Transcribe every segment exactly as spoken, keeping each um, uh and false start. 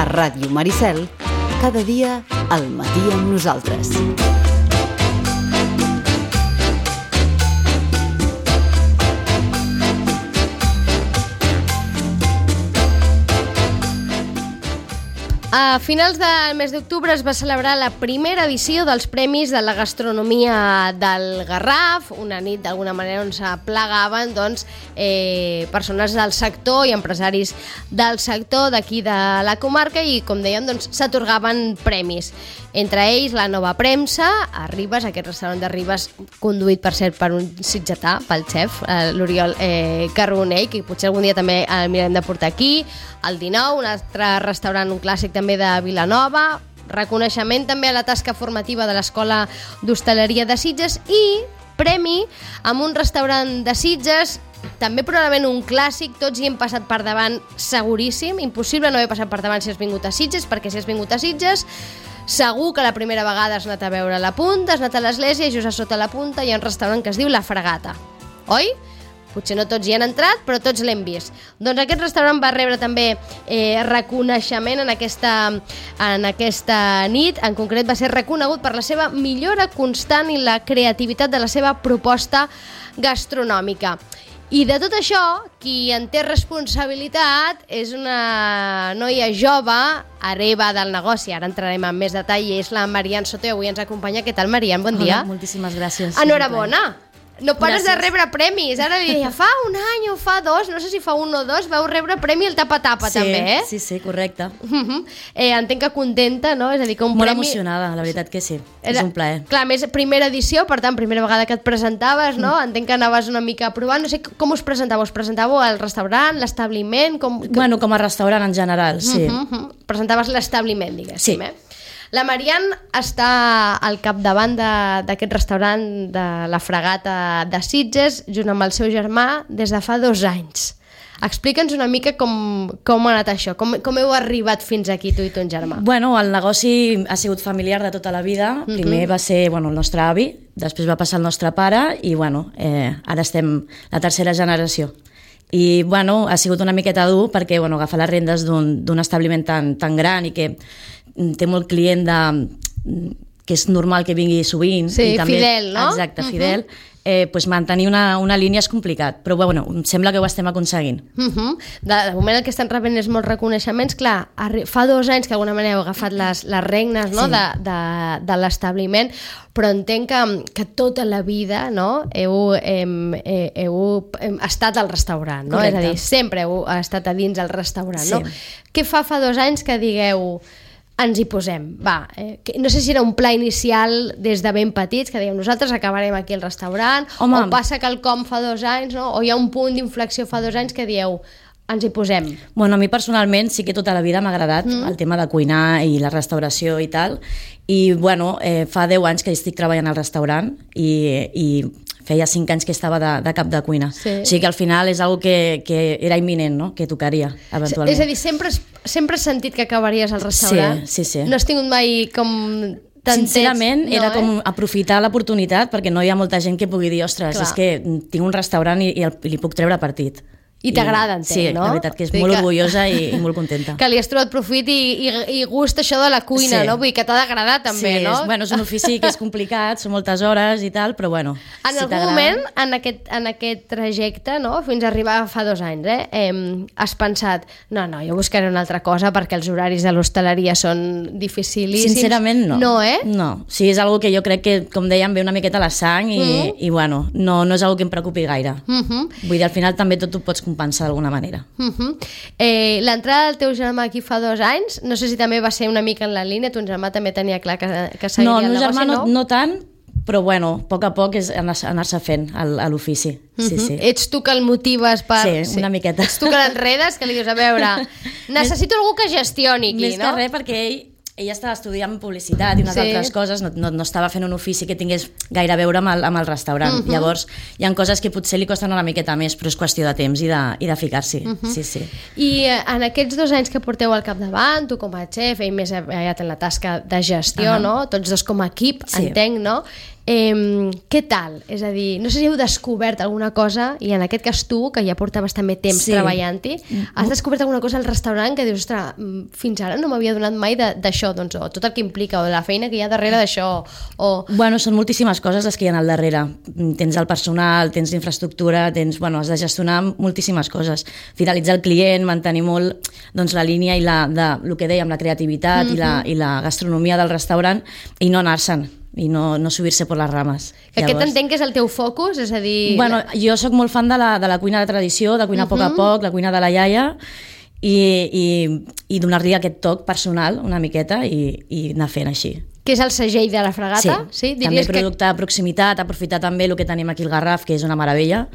Ràdio Maricel, cada dia al matí amb nosaltres. A finals del mes d'octubre es va celebrar la primera edició dels Premis de la Gastronomia del Garraf, una nit d'alguna manera on s'aplegaven doncs, eh, persones del sector i empresaris del sector d'aquí de la comarca i, com dèiem, doncs, s'atorgaven premis. Entre ells, la Nova Premsa, a Ribes, aquest restaurant de Ribes, conduït, per cert, per un sitgetà, pel xef, eh, l'Oriol eh, Carbonell, que potser algun dia també el mirarem de portar aquí, el dinou, un altre restaurant, un clàssic també de Vilanova, reconeixement també a la tasca formativa de l'Escola d'Hostaleria de Sitges i premi amb un restaurant de Sitges, també probablement un clàssic, tots hi hem passat per davant seguríssim, impossible no haver passat per davant si has vingut a Sitges, perquè si has vingut a Sitges segur que la primera vegada has anat a veure la punta, has anat a l'església i just a sota la punta hi ha un restaurant que es diu La Fregata, oi? Potser no tots hi han entrat, però tots l'hem vist. Doncs aquest restaurant va rebre també eh, reconeixement en aquesta, en aquesta nit. En concret va ser reconegut per la seva millora constant i la creativitat de la seva proposta gastronòmica. I de tot això, qui en té responsabilitat és una noia jove, hereva del negoci, ara entrarem en més detall, i és la Marian Soto, i avui ens acompanya. Què tal, Marian? Bon dia. Hola, moltíssimes gràcies. Enhorabona. No pares Gràcies. de rebre premis. Ara li deia, fa un any o fa dos, no sé si fa un o dos, vau rebre premi al tapa-tapa, sí, també, eh? Sí, sí, correcte. Uh-huh. eh, entenc que contenta, no? És a dir, que un Molt premi... emocionada, la veritat que sí. Era... És un plaer. Clar, més primera edició, per tant, primera vegada que et presentaves, no? Mm. Entenc que anaves una mica provant. No sé com us presentàveu. Us presentàveu al restaurant, l'establiment? Com... Bueno, com a restaurant en general, sí. Uh-huh, uh-huh. Presentaves l'establiment, diguéssim, Sí. eh? La Marian està al capdavant de- d'aquest restaurant de la Fregata de Sitges, junt amb el seu germà, des de fa dos anys. Explica'ns una mica com, com ha anat això, com, com heu arribat fins aquí, tu i ton germà. Bueno, el negoci ha sigut familiar de tota la vida. Primer va ser bueno, el nostre avi, després va passar el nostre pare i bueno, eh, ara estem la tercera generació. I bueno, ha sigut una miqueta dur perquè bueno, agafar les rendes d'un d'un establiment tan, tan gran i que té molt client de, que és normal que vingui sovint. Sí, i també, fidel, no? Exacte, fidel. Uh-huh. eh, pues mantenir una, una línia és complicat, però bueno, em sembla que ho estem aconseguint. Uh-huh. de, de moment el que estan rebent és molts reconeixements. Clar, arri- fa dos anys que d'alguna manera heu agafat les, les regnes, no? Sí. de, de, de l'establiment, però entenc que, que tota la vida, no? heu, hem, eh, heu hem estat al restaurant, no? Correcte. És a dir, sempre heu estat a dins del restaurant. Sí. No? Què fa fa dos anys que digueu ens hi posem? Va, eh, que, no sé si era un pla inicial des de ben petits, que dèiem nosaltres acabarem aquí al restaurant, Home. o passa quelcom fa dos anys, no? O hi ha un punt d'inflexió fa dos anys que dieu ens hi posem. Bueno, a mi personalment sí que tota la vida m'ha agradat mm. el tema de cuinar i la restauració i tal, i bueno, eh, fa deu anys que estic treballant al restaurant i, i feia cinc anys que estava de, de cap de cuina. Sí. O sigui que al final és algo que, que era imminent, no? Que tocaria, eventualment. És a dir, sempre, has- sempre has sentit que acabaries al restaurant? Sí, sí, sí. No has tingut mai com... tantets, Sincerament, no, era com eh? aprofitar l'oportunitat perquè no hi ha molta gent que pugui dir ostres, Clar. és que tinc un restaurant i, i, el, i li puc treure partit. I t'agrada, entenc, sí, no? la veritat que és Vull molt que- orgullosa i, i molt contenta. Que li has trobat profit i, i, i gust això de la cuina, Sí. no? Vull dir que t'ha d'agradar també, sí, no? és, bueno, és un ofici que és complicat, són moltes hores i tal, però bueno, En si algun t'agrada- moment, en aquest, en aquest trajecte, no? Fins a arribar fa dos anys, eh? eh? has pensat, no, no, jo buscaré una altra cosa perquè els horaris de l'hostaleria són dificilíssims. Sincerament, no. No, eh? No, sí, és algo que jo crec que, com dèiem, ve una miqueta a la sang i, Mm. i bueno, no, no és algo que em preocupi gaire. Uh -huh. Vull dir, al final també tot ho pots compensar d'alguna manera. Uh -huh. eh, L'entrada del teu germà aquí fa dos anys, no sé si també va ser una mica en la línia, ton germà també tenia clar que, que seguiria No, el el meu negoci, germà no, no? no tant, però bueno, a poc a poc és anar- anar-se fent al- a l'ofici. Sí, Uh-huh. sí. Ets tu que el motives per... Sí, una miqueta. Ets tu que l'enredes, que li dius, a veure, necessito algú que gestioni aquí, Més no? que res perquè ell, ell estava estudiant publicitat i unes Sí. altres coses, no, no, no estava fent un ofici que tingués gaire a veure amb el, amb el restaurant. Uh -huh. Llavors, hi ha coses que potser li costen una miqueta més, però és qüestió de temps i de, i de ficar-s'hi. Uh -huh. Sí, sí. I eh, en aquests dos anys que porteu al capdavant, tu com a xef, ell més aviat en la tasca de gestió, Ah. no? Tots dos com a equip, Sí. entenc, no? Eh, què tal? És a dir, no sé si heu descobert alguna cosa, i en aquest cas tu, que ja portaves també temps sí. treballant-hi, has descobert alguna cosa al restaurant que dius, ostres, fins ara no m'havia donat mai d'això, doncs, o tot el que implica, o de la feina que hi ha darrere d'això, o... Bueno, són moltíssimes coses les que hi ha al darrere. Tens el personal, tens l'infraestructura, tens, bueno, has de gestionar moltíssimes coses. Fidelitzar el client, mantenir molt doncs, la línia i la, de, el que dèiem, la creativitat mm-hmm. i, la, i la gastronomia del restaurant, i no anar-se'n i no, no subir-se per les rames. Que Llavors... aquest entenc que és el teu focus, és a dir... Bueno, jo sóc molt fan de la, de la cuina de tradició, de cuinar a poc a poc, la cuina de la iaia, i, i, i donar-li aquest toc personal una miqueta i, i anar fent així. Que és el segell de la Fragata? Sí, sí? També producte que... de proximitat, aprofitar també el que tenim aquí al Garraf, que és una meravella,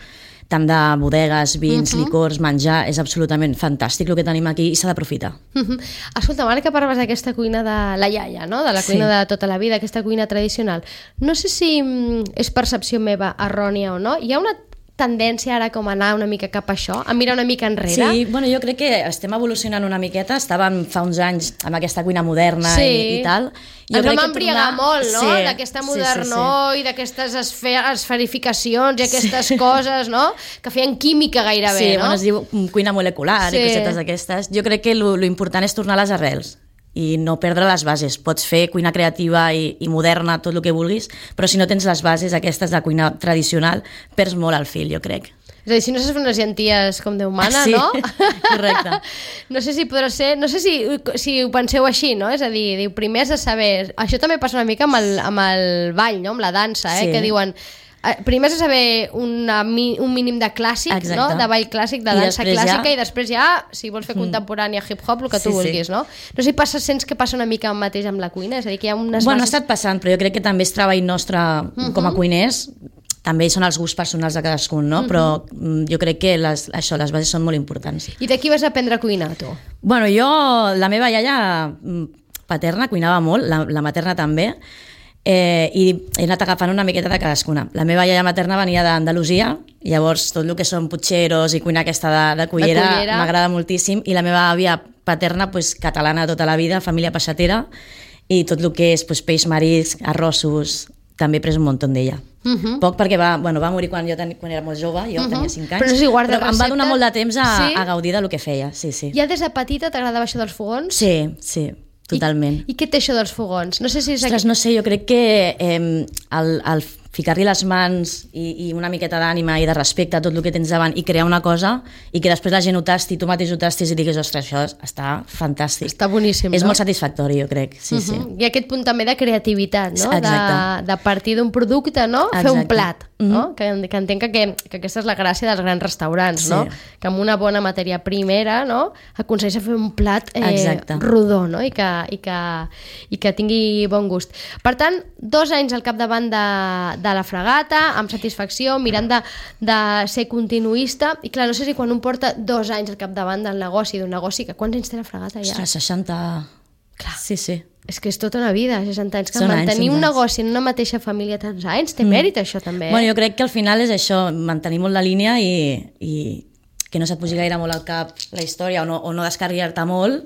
tant de bodegues, vins, uh -huh. licors, menjar, és absolutament fantàstic el que tenim aquí i s'ha d'aprofitar. Uh -huh. Escolta, ara que parles d'aquesta cuina de la iaia, no? De la cuina sí. de tota la vida, aquesta cuina tradicional, no sé si és percepció meva errònia o no, hi ha una tendència ara com a anar una mica cap a això, a mirar una mica enrere? Sí, bueno, jo crec que estem evolucionant una miqueta, estàvem fa uns anys amb aquesta cuina moderna sí. i, i tal. Jo Ens vam embriagar tornar... molt, no? Sí, d'aquesta modernor sí, sí, sí. i d'aquestes esfer... esferificacions i aquestes coses, no? Que feien química gairebé, sí, no? Sí, bueno, es diu cuina molecular sí. i cosetes d'aquestes. Jo crec que lo, lo important és tornar a les arrels i no perdre les bases. Pots fer cuina creativa i, i moderna, tot el que vulguis, però si no tens les bases aquestes de cuina tradicional, perds molt el fil, jo crec. És a dir, si no saps fer unes llenties com Déu mana, sí, no? Correcte. No sé si podrà ser... No sé si, si ho penseu així, no? És a dir, diu, primer has de saber... Això també passa una mica amb el, amb el ball, no? Amb la dansa, eh? Sí. Que diuen... Primer has de saber una, un mínim de clàssic, exacte. No? De ball clàssic, de I dansa clàssica, ja... i després ja, si vols fer mm. contemporània, hip-hop, el que sí, tu vulguis, sí. no? No sé si passa, sents que passa una mica el mateix amb la cuina? És a dir, que hi ha unes bueno, bases... ha estat passant, però jo crec que també és treball nostre uh-huh. com a cuiners, també són els gusts personals de cadascun, no? Uh-huh. Però jo crec que les, això, les bases són molt importants. I de qui vas aprendre a cuinar, tu? Bueno, jo, la meva iaia paterna cuinava molt, la, la materna també, eh, i he anat agafant una miqueta de cadascuna. La meva iaia materna venia d'Andalusia, llavors tot el que són putxeros i cuina aquesta de, de cullera, cullera. M'agrada moltíssim, i la meva àvia paterna, pues, catalana tota la vida, família peixatera, i tot el que és pues, peix marisc, arrossos, també he pres un muntó d'ella. Uh-huh. Poc perquè va, bueno, va morir quan jo ten, quan era molt jove, jo uh-huh. tenia cinc anys, però, si guarda però em va donar molt de temps a, sí? a gaudir del que feia. Sí, sí. Ja des de petita t'agradava això dels fogons? Sí, sí, totalment. I, i què té això dels fogons? No sé si és Ostres, aquí... no sé, jo crec que eh, el, el ficar-li les mans i, i una miqueta d'ànima i de respecte a tot el que tens davant i crear una cosa i que després la gent ho tasti, tu mateix ho tastis i digues, ostres, això està fantàstic. Està boníssim, És no? molt satisfactori, jo crec. Sí, uh-huh. sí. I aquest punt també de creativitat, no? Exacte. De, de partir d'un producte, no? Exacte. Fer un plat, uh-huh. no? Que, que entenc que, que aquesta és la gràcia dels grans restaurants, sí. no? Que amb una bona matèria primera, no? Aconsegueix fer un plat eh, rodó, no? I que, i, que, i que tingui bon gust. Per tant, dos anys al capdavant de, de la Fragata, amb satisfacció, mirant de, de ser continuista, i clar, no sé si quan un porta dos anys al capdavant del negoci, d'un negoci, que quants anys té la Fragata ja? Ostres, seixanta... Clar. Sí, sí. És que és tota una vida, seixanta anys, que Són mantenir anys, un anys. negoci en una mateixa família tants anys, té mèrit això també, eh? Bueno, jo crec que al final és això, mantenir molt la línia i, i que no se't pugi gaire molt al cap la història o no, o no descarriar-te molt.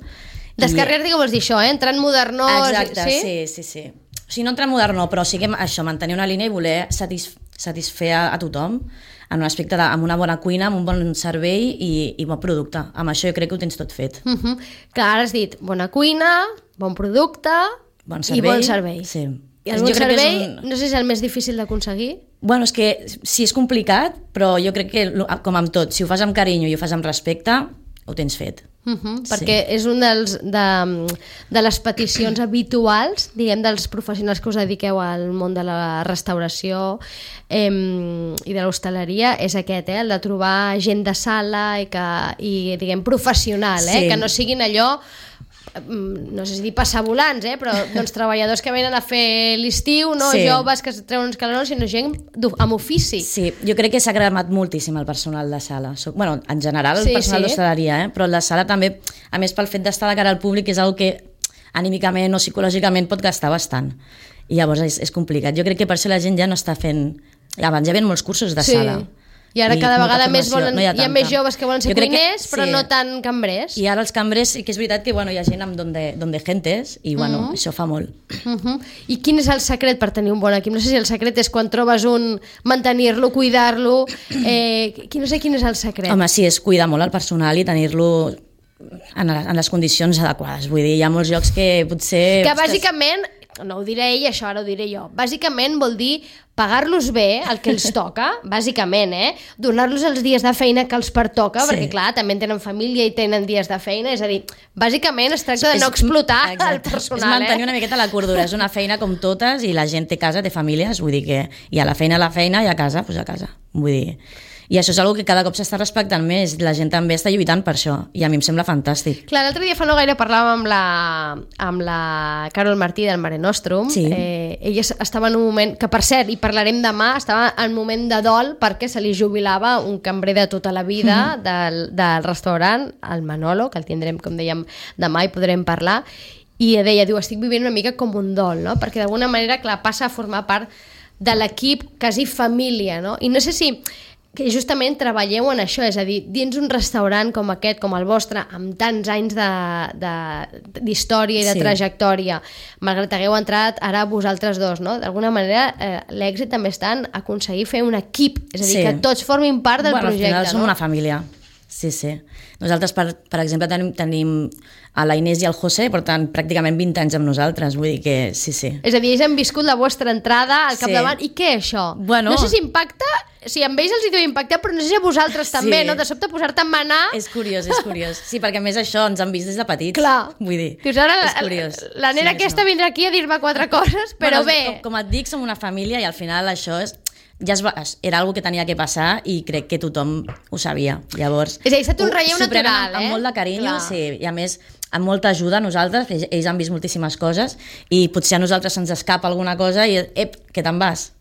Descarriar-te, què vols dir això, eh? Entrar en modernós... Exacte, sí, sí, sí. sí. O sigui, no entrar en modernó, però sí que això, mantenir una línia i voler satis, satisfer a, a tothom en un aspecte de, amb una bona cuina, amb un bon servei i, i bon producte. Amb això jo crec que ho tens tot fet. Uh -huh. Clar, ara has dit bona cuina, bon producte bon servei, i bon servei. Sí. I el bon servei, un... no sé si és el més difícil d'aconseguir. Bueno, és que sí, és complicat, però jo crec que, com amb tot, si ho fas amb carinyo i ho fas amb respecte, ho tens fet. Uh -huh, perquè sí. És un dels de, de les peticions habituals, diguem, dels professionals que us dediqueu al món de la restauració eh, i de l'hostaleria, és aquest, eh, el de trobar gent de sala i, que, i diguem, professional, eh, sí. que no siguin allò, no sé si dir passavolants, eh, però doncs, treballadors que venen a fer l'estiu, no sí. joves que es treuen uns calorons, sinó gent amb ofici. Sí, jo crec que s'ha agradat moltíssim el personal de sala. Bueno, en general el sí, personal sí. d'hostaleria, eh? Però el de sala també, a més pel fet d'estar de cara al públic, és una que anímicament o psicològicament pot gastar bastant. I llavors és, és complicat. Jo crec que per això la gent ja no està fent... Abans ja ven molts cursos de sí. sala. I ara I cada molta vegada més formació. volen, No hi ha hi ha tanta. més joves que volen ser Jo crec que- cuiners, però sí. no tant cambrers. I ara els cambrers sí que és veritat que bueno, hi ha gent amb donde, donde gentes i bueno, Mhm. això fa molt. Uh -huh. I quin és el secret per tenir un bon equip? No sé si el secret és quan trobes un mantenir-lo, cuidar-lo, eh, qui- no sé quin és el secret. Home, sí, és cuidar molt el personal i tenir-lo en, en les condicions adequades. Vull dir, hi ha molts llocs que potser... Que ostres, bàsicament, no ho diré ell, això ara ho diré jo, bàsicament vol dir pagar-los bé el que els toca, bàsicament, eh? Donar-los els dies de feina que els pertoca, Sí. perquè clar, també tenen família i tenen dies de feina, és a dir, bàsicament es tracta de és- no explotar exacte, el personal, és mantenir eh? una miqueta la cordura, és una feina com totes i la gent té casa, té famílies, vull dir que hi ha la feina a la feina i a casa, doncs a casa, vull dir... I això és una que cada cop s'està respectant més, la gent també està lluitant per això, i a mi em sembla fantàstic. Clar, l'altre dia fa no gaire parlàvem amb la, amb la Carol Martí del Mare Nostrum. Sí. Eh, ella estava en un moment, que per cert, i parlarem demà, estava en un moment de dol perquè se li jubilava un cambrer de tota la vida del, del restaurant, el Manolo, que el tindrem, com dèiem, demà i podrem parlar, i deia, diu, estic vivint una mica com un dol, no? Perquè d'alguna manera, clar, passa a formar part de l'equip, quasi família, no? I no sé si que justament treballeu en això, és a dir, dins un restaurant com aquest, com el vostre, amb tants anys d'història i de Sí. trajectòria, malgrat que hagueu entrat ara vosaltres dos, no? D'alguna manera, eh, l'èxit també està en aconseguir fer un equip, és a dir, Sí. que tots formin part del bueno, projecte, al final som no? una família. Sí, sí. Nosaltres, per, per exemple, tenim, tenim a la Inés i el José, per tant, pràcticament vint anys amb nosaltres, vull dir que sí, sí. És a dir, ells han viscut la vostra entrada al Sí. capdavant. I què, això? Bueno. No sé si impacta, si amb ells els hi deu impactar, però no sé si a vosaltres també, Sí. no? De sobte posar-te a manar... És curiós, és curiós. Sí, perquè a més això ens han vist des de petits. Clar. Vull dir, Dius, ara és curiós. la nena Sí, aquesta no. vindrà aquí a dir-me quatre coses, però bueno, bé... Com, com et dic, som una família i al final això és, ja es va, era algo que tenia que passar i crec que tothom ho sabia. Llavors, És a dir, ha estat un ho- relleu s'ho prenen natural, amb, eh? amb molt de carinyo, Clar. sí, i a més amb molta ajuda a nosaltres, que ells han vist moltíssimes coses i potser a nosaltres se'ns escapa alguna cosa i, ep, que te'n vas.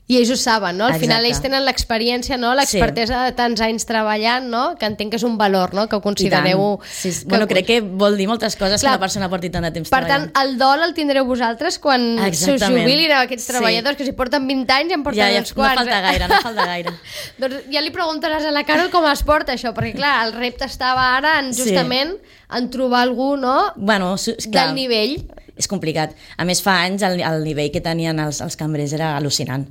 I ells ho saben, no? Al Exacte. final ells tenen l'experiència, no? L'expertesa de tants anys treballant, no? Que entenc que és un valor, no? Que ho considereu... Sí, sí. Bueno, crec que vol dir moltes coses Clar. que una persona porti tant de temps Per tant, treballant. el dol el tindreu vosaltres quan se us Exactament. jubilin aquests Sí. treballadors, que si porten vint anys en porten Ja, ja, uns no quants. falta eh? gaire, no falta gaire. Doncs ja li preguntaràs a la Carol com es porta això, perquè clar, el repte estava ara en, Sí. justament en trobar algú, no?, Bueno, su- clar, del nivell. és complicat. A més, fa anys el, el nivell que tenien els, els cambrers era al·lucinant.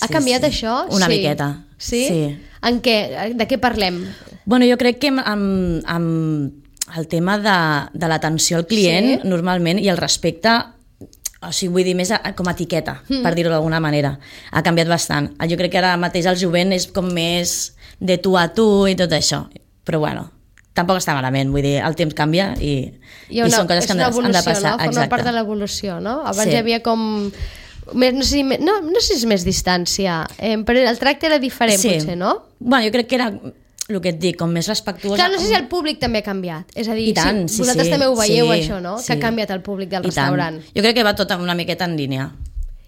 Ha canviat això? Una Sí. miqueta. Sí? Sí. En què? De què parlem? Bueno, jo crec que amb, amb, amb el tema de, de l'atenció al client, Sí. normalment, i el respecte, o sigui, vull dir, més a, com a etiqueta, mm. per dir-ho d'alguna manera, ha canviat bastant. Jo crec que ara mateix el jovent és com més de tu a tu i tot això. Però bueno, tampoc està malament, vull dir, el temps canvia i, Hi ha una, i són coses és que han una de, han evolució, de passar. no? Forma Exacte. part de l'evolució, no? Abans Sí. hi havia com... Més, no, sé si, no, no sé si és més distància, eh, però el tracte era diferent, Sí. potser, no? Bueno, jo crec que era el que et dic, com més respectuosa. Clar, no sé si el públic també ha canviat. És a dir, I tant, si sí, vosaltres sí, també ho veieu, sí, això, no? sí. Que ha canviat el públic del I tant. restaurant. Jo crec que va tot una miqueta en línia.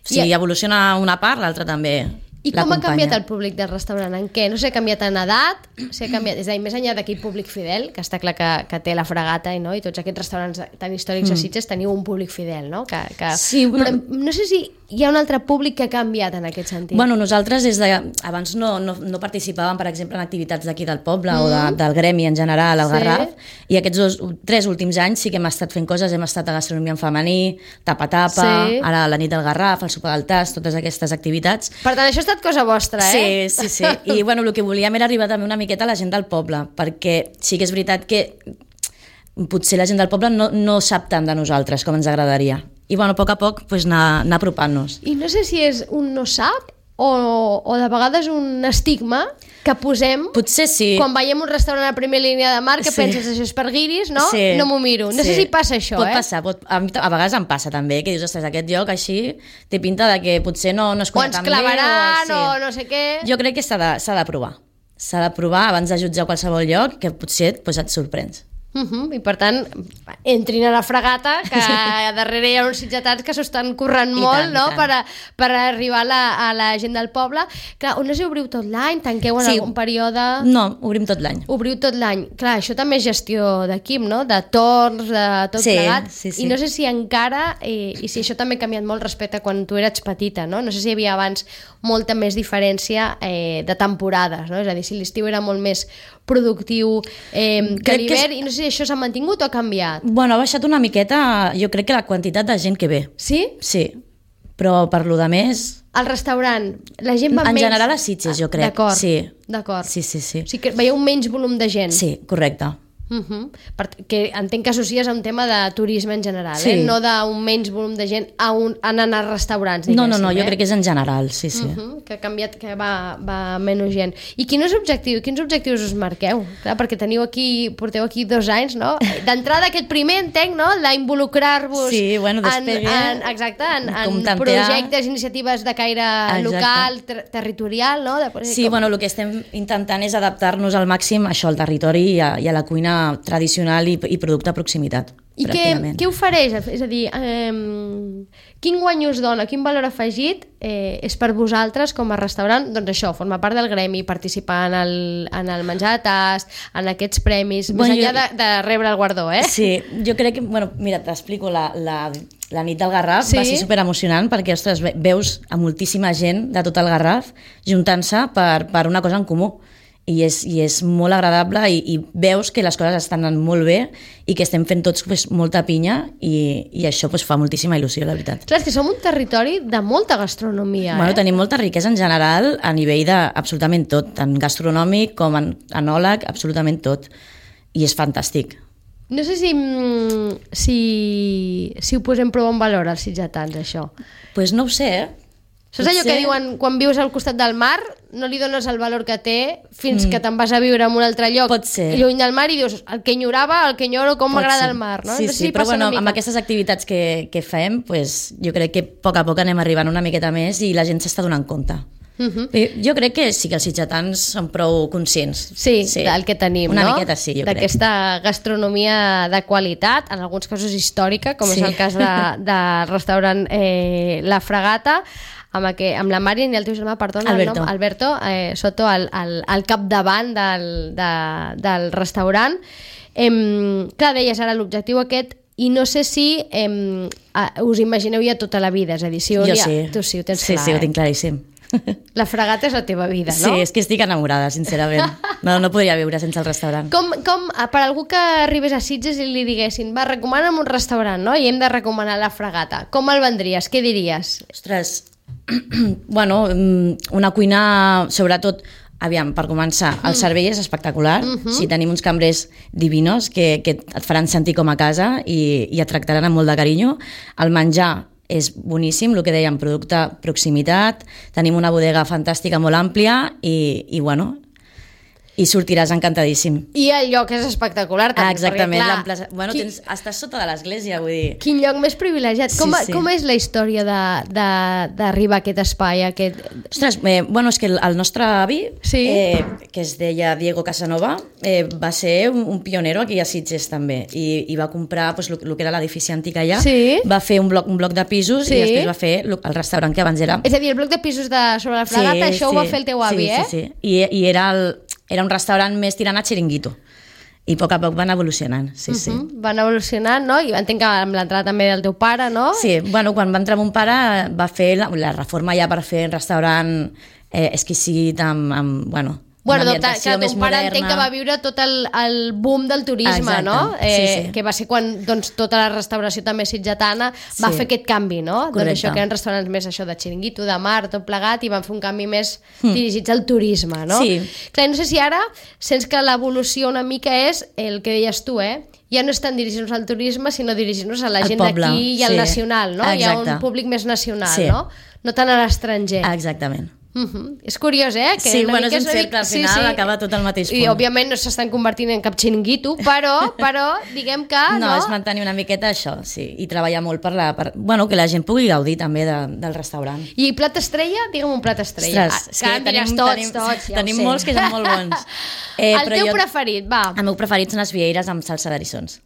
Si I- evoluciona una part, l'altra també I com ha l'acompanya. canviat el públic del restaurant? En què? No sé, ha canviat en edat? Si ha canviat, és a dir, més enllà d'aquell públic fidel, que està clar que, que té la fregata i, no? I tots aquests restaurants tan històrics mm. a Sitges teniu un públic fidel, no? Que, que... Sí, Però bueno- no sé si hi ha un altre públic que ha canviat en aquest sentit. Bueno, nosaltres des de... abans no, no, no participàvem, per exemple, en activitats d'aquí del poble mm. o de, del gremi en general, al Sí. Garraf, i aquests dos, tres últims anys sí que hem estat fent coses, hem estat a gastronomia en femení, tapa-tapa, Sí. ara la nit del Garraf, el sopar del tas, totes aquestes activitats. Per tant, això ha estat cosa vostra, eh? Sí, sí, sí. I bueno, el que volíem era arribar també una miqueta a la gent del poble, perquè sí que és veritat que potser la gent del poble no, no sap tant de nosaltres com ens agradaria. I bueno, a poc a poc pues, anar, anar apropant-nos. I no sé si és un no sap o, o de vegades un estigma que posem Potser sí. quan veiem un restaurant a primera línia de mar que Sí. penses això és per guiris, no? Sí. No m'ho miro. No sé Sí. si passa això, pot eh? Passar, pot, a, mi, a vegades em passa també, que dius, ostres, aquest lloc així té pinta de que potser no, no es O cuina ens tan bé. clavaran o, sí. no sé què. Jo crec que s'ha de, s'ha de provar. S'ha de provar abans de jutjar qualsevol lloc, que potser pues, et sorprens. Uh-huh. I per tant, entrin a la fregata, que a darrere hi ha uns sitgetans que s'ho estan currant I molt, tant, no? i tant. Per, a, per arribar a la, a la gent del poble. Clar, on no sé, obriu tot l'any? Tanqueu en Sí. algun període? No, obrim tot l'any. Obriu tot l'any. Clar, això també és gestió d'equip, no? De torns, de tot Sí, plegat. sí, sí. I no sé si encara, eh, i si això també ha canviat molt respecte a quan tu eres petita, no? No sé si hi havia abans molta més diferència eh, de temporades, no? És a dir, si l'estiu era molt més productiu eh, que Crec que l'hivern, és- i no sé si això s'ha mantingut o ha canviat. Bueno, ha baixat una miqueta, jo crec que la quantitat de gent que ve. Sí? Sí, però per lo de més... Al restaurant, la gent va En menys... general a Sitges, jo crec. D'acord, Sí. d'acord. Sí, sí, sí. O sigui que veieu menys volum de gent. Sí, correcte. Uh -huh. per, que entenc que associes a un tema de turisme en general, Sí. eh? No d'un menys volum de gent a un, anant a restaurants, No, diguéssim. no, no, jo eh? crec que és en general, sí, sí. Uh -huh, que ha canviat, que va, va menys gent. I quin és objectiu, quins objectius us marqueu? Clar, perquè teniu aquí, porteu aquí dos anys, no? D'entrada aquest primer, entenc, no? D'involucrar-vos Sí, bueno, en, despegue, en, exacte, en, com en tantear. projectes, iniciatives de caire Exacte. local, ter territorial, no? De, Sí, com... bueno, el que estem intentant és adaptar-nos al màxim a això, al territori i a, i a la cuina tradicional i, i producte a proximitat. I què, pràcticament. què ofereix? És a dir, eh, quin guany us dona, quin valor afegit eh, és per vosaltres com a restaurant? Doncs això, formar part del gremi, participar en el, en el menjar de tast, en aquests premis, Bueno, més enllà jo- de, de rebre el guardó, eh? Sí, jo crec que, bueno, mira, t'explico, la, la, la nit del Garraf Sí. va ser superemocionant perquè, ostres, ve- veus a moltíssima gent de tot el Garraf juntant-se per, per una cosa en comú. I és, i és molt agradable i, i veus que les coses estan anant molt bé i que estem fent tots pues, molta pinya i, i això pues, fa moltíssima il·lusió, la veritat. Clar, és que som un territori de molta gastronomia, Bueno, eh? tenim molta riquesa en general a nivell d'absolutament tot, tant gastronòmic com en enòleg, absolutament tot. I és fantàstic. No sé si, mm, si, si ho posem prou en valor als sitgetans, això. Pues no ho sé, eh? Saps allò que Potser- diuen, quan vius al costat del mar, no li dones el valor que té fins mm. que te'n vas a viure en un altre lloc, Pot ser. lluny del mar, i dius, el que enyorava, el que enyoro, com Pot m'agrada ser. el mar, no? Sí, No sé sí, si però passa bueno, una amb mica. aquestes activitats que, que fem, pues, jo crec que a poc a poc anem arribant una miqueta més i la gent s'està donant compte. Uh -huh. I jo crec que sí que els sitgetans són prou conscients. Sí, sí, del que tenim, una no? Una miqueta sí, jo crec. D'aquesta gastronomia de qualitat, en alguns casos històrica, com Sí. és el cas de, del restaurant eh, La Fregata, amb, aqu amb la Mària i el teu germà, perdona, Alberto. el nom, Alberto, eh, Soto, al, al, al capdavant del, de, del restaurant. Eh, clar, deies ara l'objectiu aquest, i no sé si eh, us imagineu ja tota la vida, és a dir, si Jo un dia... sí. Tu sí, ho tens sí, clar, sí, ho eh? tinc claríssim. La Fregata és la teva vida, Sí, no? és que estic enamorada, sincerament. No, no podria viure sense el restaurant. Com, com, per algú que arribés a Sitges i li diguessin, va, recomana'm un restaurant, no? I hem de recomanar La Fregata. Com el vendries? Què diries? Ostres, bueno, mm, una cuina, sobretot, aviam, per començar, el servei és espectacular, uh -huh. si tenim uns cambrers divinos que, que et faran sentir com a casa i, i et tractaran amb molt de carinyo. El menjar és boníssim, el que dèiem, producte proximitat, tenim una bodega fantàstica molt àmplia i, i bueno, i sortiràs encantadíssim. I el lloc és espectacular, també, Ah, exactament, perquè, clar, l'emplaça... Bueno, qui- tens, estàs sota de l'església, vull dir... Quin lloc més privilegiat. Sí, Com, sí. com és la història de- de- d'arribar a aquest espai? A aquest... Ostres, eh, bueno, és que el, el nostre avi, Sí. eh, que es deia Diego Casanova, eh, va ser un, un pionero aquí a Sitges també, i, i va comprar pues, el que era l'edifici antic allà, Sí. va fer un bloc, un bloc de pisos Sí. i després va fer lo- el restaurant que abans era... És a dir, el bloc de pisos de sobre La Fregata, això ho va fer el teu avi, sí, eh? Sí, sí, I, i era, el, era un restaurant més tirant a xiringuito, i a poc a poc van evolucionant, sí, sí. Uh -huh. Van evolucionant, no? I entenc que amb l'entrada també del teu pare, no? Sí, bueno, quan va entrar mon pare va fer la, la reforma ja per fer un restaurant eh, exquisit amb, amb bueno, Bueno, una doncs, ambientació clar, més ton pare moderna. entenc que va viure tot el, el boom del turisme, Exacte, no? sí, Eh, sí. Que va ser quan doncs, tota la restauració també sitgetana va Sí. fer aquest canvi, no? Correcte. Doncs això que eren restaurants més això de xiringuito, de mar, tot plegat, i van fer un canvi més dirigits al turisme, no? Sí. Clar, no sé si ara sents que l'evolució una mica és el que deies tu, eh? Ja no estan dirigint-nos al turisme, sinó dirigint-nos a la Al gent poble, d'aquí i al sí. nacional, no? Hi ha Exacte. un públic més nacional, Sí. no? No tant a l'estranger. Exactament. Uh-huh. És curiós, eh? Que sí, bueno, és un mica cercle, al final sí, sí. acaba tot al mateix punt. I, òbviament, no s'estan convertint en cap xiringuito, però, però diguem que... No, no, és mantenir una miqueta això, sí, i treballar molt per, la, per bueno, que la gent pugui gaudir també de, del restaurant. I plat estrella? Digue'm un plat estrella. Ostres, ah, que tenim, tots, tenim, tots, ja tenim molts que són molt bons. Eh, el teu jo, preferit, va. El meu preferit són les vieires amb salsa d'erissons.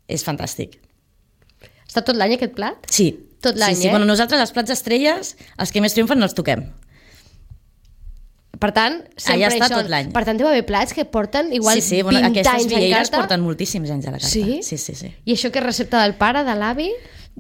És fantàstic. Està tot l'any aquest plat? Sí. Tot l'any, sí, sí. eh? Bueno, nosaltres els plats estrelles, els que més triomfen no els toquem. Per tant, sempre allà està són... tot l'any. Per tant, deu haver plats que porten igual sí, sí, bueno, vint anys en carta. Aquestes vieires porten moltíssims anys a la carta. Sí? Sí, sí, sí. I això que és recepta del pare, de l'avi?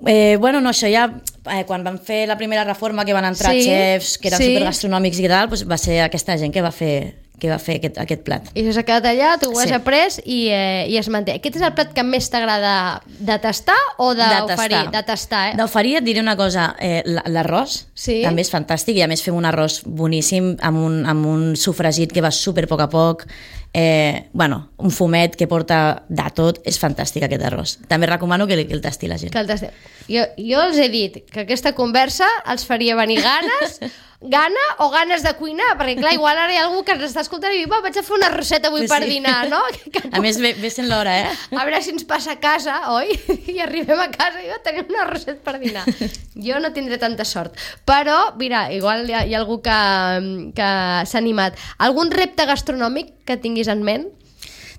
Eh, bueno, no, això ja, eh, quan van fer la primera reforma, que van entrar sí, xefs, que eren sí. supergastronòmics i tal, doncs va ser aquesta gent que va fer, que va fer aquest, aquest plat. I això s'ha quedat allà, tu ho has sí. après i, eh, i es manté. Aquest és el plat que més t'agrada de tastar o d'oferir? De tastar, eh? D'oferir et diré una cosa, eh, l'arròs sí. també és fantàstic i a més fem un arròs boníssim amb un, amb un sofregit que va super a poc a poc, eh, bueno, un fumet que porta de tot, és fantàstic aquest arròs. També recomano que, que el tasti la gent. Que el tasti. Jo, jo els he dit que aquesta conversa els faria venir ganes gana o ganes de cuinar, perquè clar, igual ara hi ha algú que ens està escoltant i diu, va, vaig a fer una roseta avui sí, per dinar, no? Que, que... A més, ve, ve sent l'hora, eh? A veure si ens passa a casa, oi? I arribem a casa i jo tenim una roseta per dinar. Jo no tindré tanta sort. Però, mira, igual hi ha, hi ha algú que, que s'ha animat. Algun repte gastronòmic que tinguis en ment?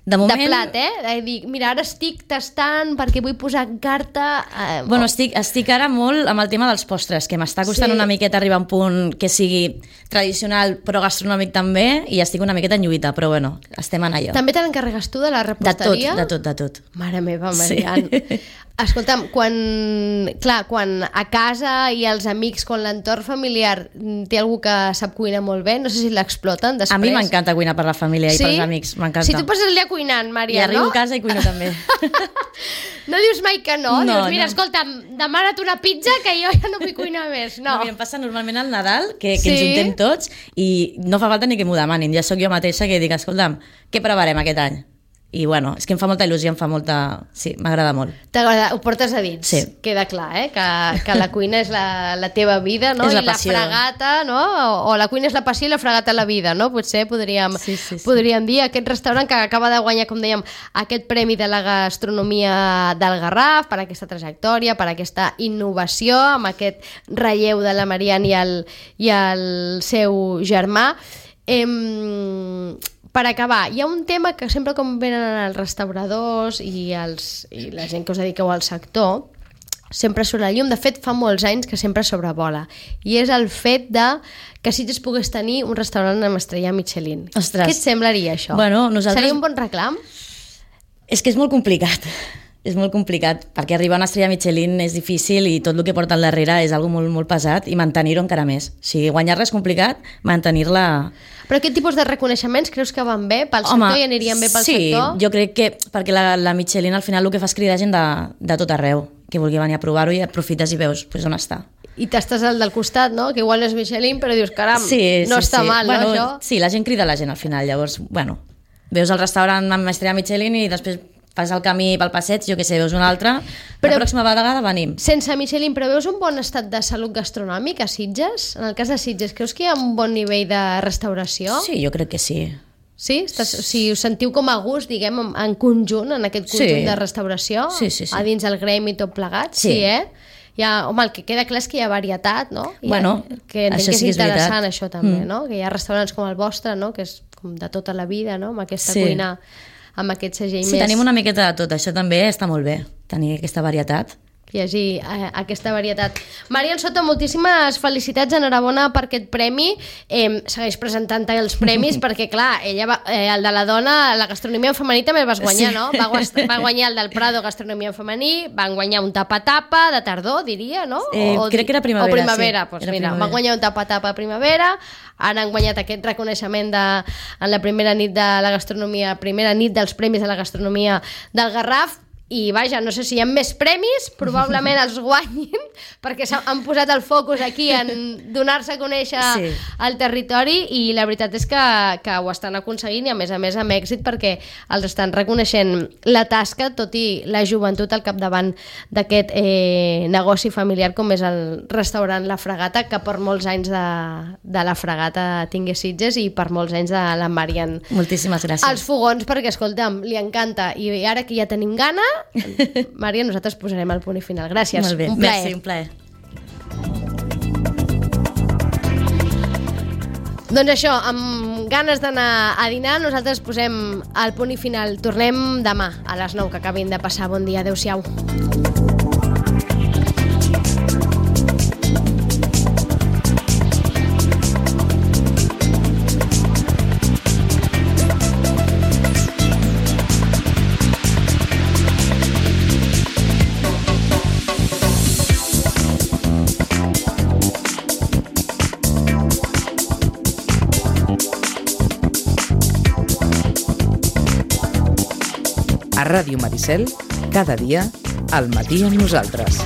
De, moment... de plat, eh? Dic, mira, ara estic tastant perquè vull posar en carta... Eh, bueno, estic, estic ara molt amb el tema dels postres, que m'està costant sí. una miqueta arribar a un punt que sigui tradicional però gastronòmic també, i estic una miqueta en lluita, però bueno, estem en allò. També te n'encarregues tu de la reposteria? De tot, de tot, de tot. Mare meva, Marian. Sí. Escolta'm, quan, clar, quan a casa i els amics, quan l'entorn familiar té algú que sap cuinar molt bé, no sé si l'exploten després. A mi m'encanta cuinar per la família sí? i pels amics, m'encanta. Si tu passes el dia cuinant, Maria, I arribo no? a casa i cuino també. No dius mai que no? No, dius, mira, no. escolta, demana't una pizza que jo ja no vull cuinar més. No, no mira, em passa normalment al Nadal, que, que sí? ens juntem tots, i no fa falta ni que m'ho demanin. Ja sóc jo mateixa que dic, escolta'm, què preparem aquest any? I bueno, és que em fa molta il·lusió, em fa molta... Sí, m'agrada molt. T'agrada, ho portes a dins, sí. Queda clar, eh? Que, que la cuina és la, la teva vida, no? És la I la passió. fregata, no? O, o la cuina és la passió i la fregata la vida, no? Potser podríem, sí, sí, sí. podríem dir aquest restaurant que acaba de guanyar, com dèiem, aquest premi de la gastronomia del Garraf per aquesta trajectòria, per aquesta innovació, amb aquest relleu de la Marian i el, i el seu germà. Em... Per acabar, hi ha un tema que sempre com venen els restauradors i, els, i la gent que us dediqueu al sector, sempre surt la llum. De fet, fa molts anys que sempre sobrevola. I és el fet de que si es pogués tenir un restaurant amb estrella Michelin. Ostres. Què et semblaria això? Bueno, nosaltres... Seria un bon reclam? És que és molt complicat. És molt complicat, perquè arribar a una estrella Michelin és difícil i tot el que porta al darrere és algo molt, molt pesat, i mantenir-ho encara més. O sigui, guanyar-la és complicat, mantenir-la... Però aquest tipus de reconeixements creus que van bé pel Home, sector i anirien bé pel sí, sector? Sí, jo crec que perquè la, la Michelin al final el que fa és cridar gent de, de tot arreu, que vulgui venir a provar-ho, i aprofites i veus pues, on està. I t'estàs al del costat, no? Que igual no és Michelin, però dius, caram, sí, no sí, està sí. mal, bueno, no, això? Sí, la gent crida la gent al final, llavors, bueno, veus el restaurant amb estrella Michelin i després fas el camí pel passeig, jo què sé, veus un altre, però la pròxima vegada venim. Sense Michelin, però veus un bon estat de salut gastronòmic a Sitges? En el cas de Sitges, creus que hi ha un bon nivell de restauració? Sí, jo crec que sí. Sí? Estàs, o sigui, us sentiu com a gust, diguem, en conjunt, en aquest conjunt sí. de restauració? Sí, sí, sí. A dins el gremi tot plegat? Sí. Sí, eh? Hi ha, home, el que queda clar és que hi ha varietat, no? Hi ha, bueno, que entenc això que és sí que és interessant, veritat. això també, mm. no? Que hi ha restaurants com el vostre, no? Que és com de tota la vida, no? Amb aquesta sí. cuina, amb aquest segell sí, més... Sí, tenim una miqueta de tot, això també està molt bé, tenir aquesta varietat. Que hi hagi eh, aquesta varietat. Marian Soto, moltíssimes felicitats, enhorabona per aquest premi. Eh, segueix presentant els premis perquè, clar, ella va, eh, el de la dona, la gastronomia en femení també el vas guanyar, sí. no? Va, va guanyar el del Prado, gastronomia en femení, van guanyar un tapa-tapa de tardor, diria, no? Eh, o, crec que era primavera, o primavera, sí. Pues era mira, primavera. Van guanyar un tapa-tapa a primavera, ara han guanyat aquest reconeixement de, en la primera nit de la gastronomia, primera nit dels premis de la gastronomia del Garraf. i vaja, no sé si hi ha més premis, probablement els guanyin, perquè han posat el focus aquí en donar-se a conèixer sí. el territori, i la veritat és que, que ho estan aconseguint, i a més a més amb èxit, perquè els estan reconeixent la tasca, tot i la joventut al capdavant d'aquest eh, negoci familiar com és el restaurant La Fragata, que per molts anys de, de La Fragata tingué Sitges, i per molts anys de la Marian. Moltíssimes gràcies. Els fogons, perquè escolta'm, li encanta, i ara que ja tenim gana, Mària, nosaltres posarem el punt i final. Gràcies, molt bé. Un plaer. Merci, un plaer. Doncs això, amb ganes d'anar a dinar, nosaltres posem el punt i final. Tornem demà a les nou, que acabin de passar. Bon dia, adeu-siau. A Ràdio Maricel, cada dia, al matí amb nosaltres.